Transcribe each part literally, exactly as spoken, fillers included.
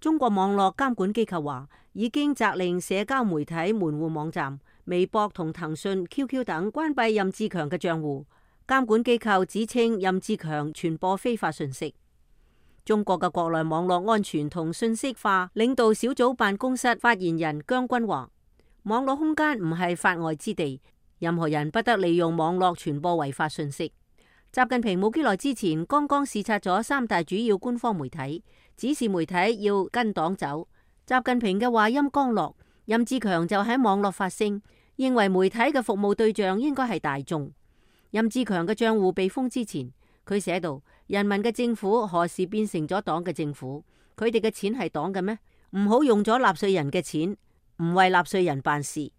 中國網絡監管機構話，已經責令社交媒體門戶網站、微博同騰訊、Q Q 等關閉任志強嘅賬戶。監管機構指稱任志強傳播非法信息。中國嘅國內網絡安全同信息化領導小組辦公室發言人姜軍話，網絡空間唔係法外之地，任何人不得利用網絡傳播違法信息。習近平冇幾耐之前剛剛視察咗三大主要官方媒體，指示媒體要跟黨走。習近平嘅話音剛落，任志強就喺網絡發聲，認為媒體嘅服務對象應該係大眾。任志強嘅賬戶被封之前，佢寫道：人民嘅政府何時變成咗黨嘅政府？佢哋嘅錢係黨嘅咩？唔好用咗納稅人嘅錢，唔為納稅人辦事。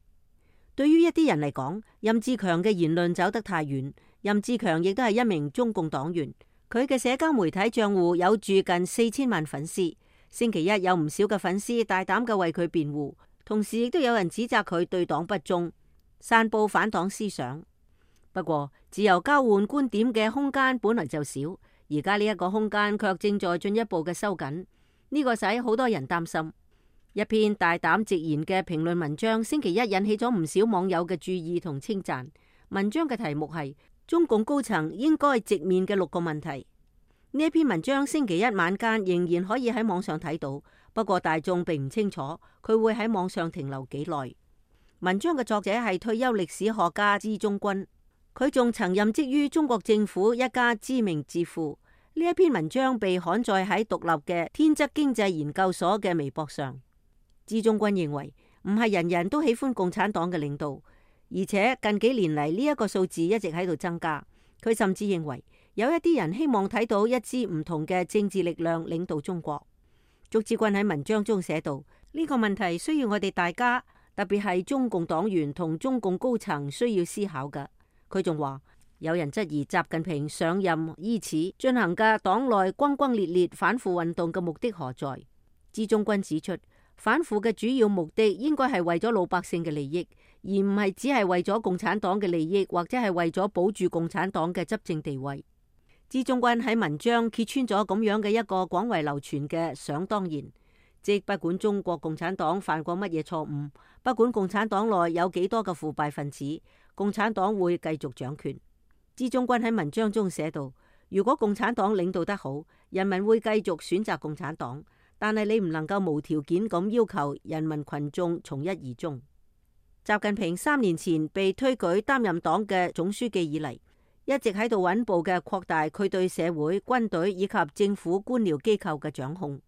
對於一啲人嚟講，任志強嘅言論走得太遠。任志強亦都係一名中共黨員，佢嘅社交媒體賬戶有住近四千萬粉絲。星期一有唔少嘅粉絲大膽嘅為佢辯護，同時亦都有人指責佢對黨不忠，散佈反黨思想。不過，自由交換觀點嘅空間本來就少，而家呢一個空間卻正在進一步嘅收緊，呢個使好多人擔心。一篇大膽直言嘅評論文章，星期一引起咗唔少網友嘅注意同稱讚。文章嘅題目係中共高層應該直面嘅六個問題。呢一篇文章星期一晚間仍然可以喺網上睇到，不過大眾並唔清楚佢會喺網上停留幾耐。文章嘅作者係退休歷史學家支中軍。佢仲曾任職於中國政府一家知名智庫。呢一篇文章被刊載喺獨立嘅天則經濟研究所嘅微博上。支中軍認為唔係人人都喜歡共產黨嘅領導，而且近幾年嚟呢一個數字一直喺度增加。佢甚至認為有一啲人希望睇到一支唔同嘅政治力量領導中國。祝志軍喺文章中寫道：呢個問題需要我哋大家，特別係中共黨員同中共高層需要思考㗎。佢仲話，有人質疑習近平上任伊始進行嘅黨內轟轟烈烈反腐運動嘅目的何在？支中軍指出，反腐嘅主要目的應該係為咗老百姓嘅利益，而唔係只係為咗共產黨嘅利益，或者係為咗保住共產黨嘅執政地位。支中軍喺文章揭穿咗咁樣嘅一個廣為流傳嘅想當然，即不管中國共產黨犯過乜嘢錯誤，不管共產黨內有幾多嘅腐敗分子，共產黨會繼續掌權。支中軍喺文章中寫道：如果共產黨領導得好，人民會繼續選擇共產黨，但係你唔能夠無條件咁要求人民群眾從一而終。習近平三年前被推舉擔任黨嘅總書記以嚟，一直喺度穩步嘅擴大佢對社會、軍隊以及政府官僚機構嘅掌控。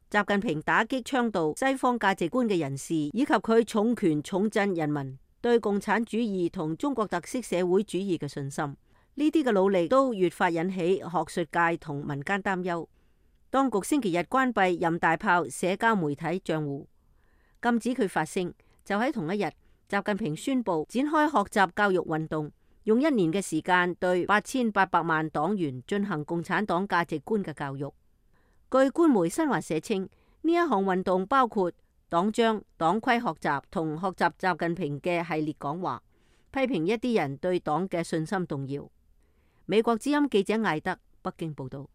習近平打擊倡導西方價值觀嘅人士，以及佢重拳重鎮人民對共產主義同中國特色社會主義嘅信心，呢啲嘅努力都越發引起學術界同民間擔憂。當局星期日關閉任大炮社交媒體賬戶，禁止佢發聲。就喺同一日，習近平宣布展開學習教育運動，用一年嘅時間對八千八百萬黨員進行共產黨價值觀嘅教育。據官媒新華社稱，呢一項運動包括黨章、黨規學習同學習習近平嘅系列講話，批評一啲人對黨嘅信心動搖。美國之音記者艾德北京報道。